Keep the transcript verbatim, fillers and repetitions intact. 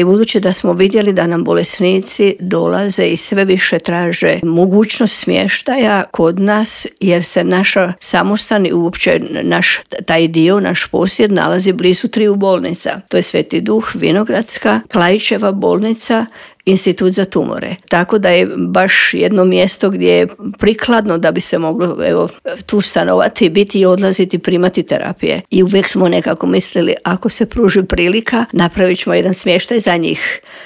I budući da smo vidjeli da nam bolesnici dolaze i sve više traže mogućnost smještaja kod nas, jer se naša samostan i uopće naš taj dio, naš posjed nalazi blizu triju bolnica. To je Sveti Duh, Vinogradska, Klaićeva bolnica, Institut za tumore. Tako da je baš jedno mjesto gdje je prikladno da bi se moglo evo, tu stanovati, biti i odlaziti, primati terapije. I uvijek smo nekako mislili, ako se pruži prilika, napravit ćemo jedan smještaj za njih.